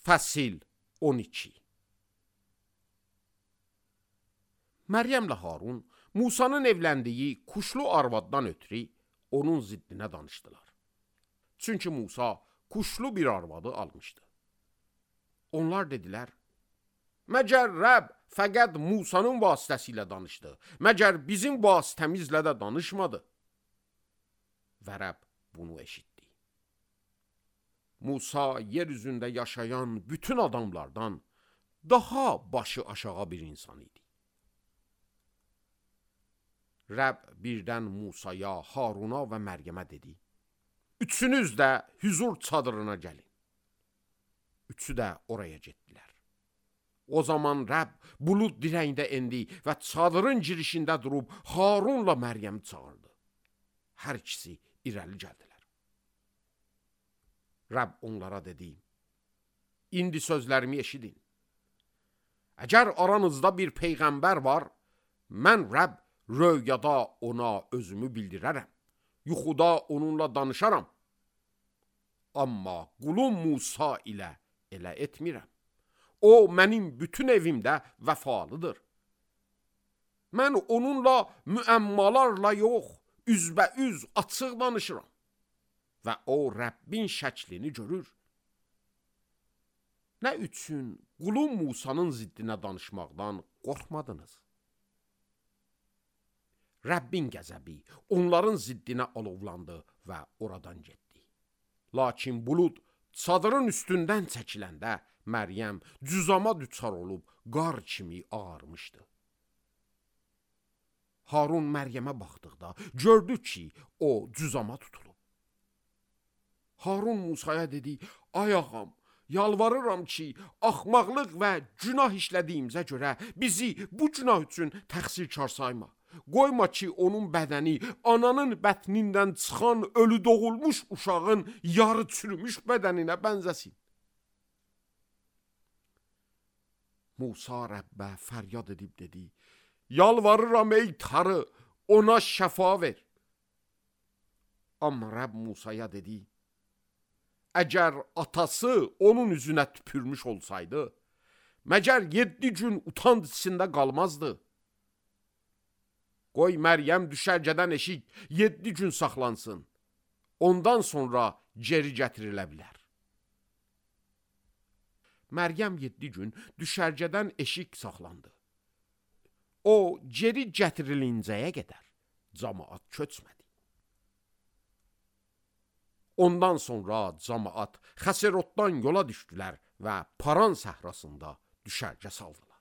Fəsil 12. Məryəmlə Harun Musanın evləndiyi kuşlu arvaddan ötürü onun ziddinə danışdılar. Çünki Musa kuşlu bir arvadı almışdı. Onlar dedilər, məgər Rəbb fəqət Musanın vasitəsilə danışdı, məgər bizim vasitəmizlə də danışmadı. Və Rəbb bunu eşitdi. Musa yer üzündə yaşayan bütün adamlardan daha başı aşağı bir insan idi. Rəbb birdən Musaya, Haruna və Məryəmə dedi, üçünüz də hüzur çadırına gəlin. Üçü də oraya getdilər. O zaman Rəbb bulud dirəyində endi və çadırın girişində durub Harunla Məryəmi çağırdı. Hər ikisi irəli gəldilər. Rəbb onlara dedi, indi sözlərimi eşidin. Əgər aranızda bir peyğəmbər var, mən Rəbb röyada ona özümü bildirərəm, yuxuda onunla danışaram. Amma qulum Musa ilə elə etmirəm. O, mənim bütün evimdə vəfalıdır. Mən onunla müəmmalarla yox, üzbəüz açıq danışıram. Və o, Rəbbin şəklini görür. Nə üçün qulum Musanın ziddinə danışmaqdan qorxmadınız? Rəbbin qəzəbi onların ziddinə alovlandı və oradan getdi. Lakin bulud çadırın üstündən çəkiləndə Məryəm cüzama düçar olub qar kimi ağarmışdı. Harun Məryəmə baxdıqda gördü ki, o cüzama tutulub. Harun Musaya dedi, ay ağam, yalvarıram ki, axmaqlıq və günah işlədiyimizə görə bizi bu günah üçün təqsirkar sayma. Qoyma ki, onun bədəni ananın bətnindən çıxan ölü doğulmuş uşağın yarı çürümüş bədəninə bənzəsin. Musa Rəbbə fəryad edib dedi, yalvarıram ey Tanrı, ona şəfa ver. Amma Rəbb Musaya dedi, əgər atası onun üzünə tüpürmüş olsaydı, məgər 7 gün utanc içində qalmazdı. Qoy Məryəm düşərgədən eşik 7 gün saxlansın. Ondan sonra geri gətirilə bilər. Məryəm 7 gün düşərgədən eşik saxlandı. O, geri gətirilincəyə qədər camaat köçmədi. Ondan sonra camaat Xəserotdan yola düşdülər və Paran səhrasında düşərgə saldılar.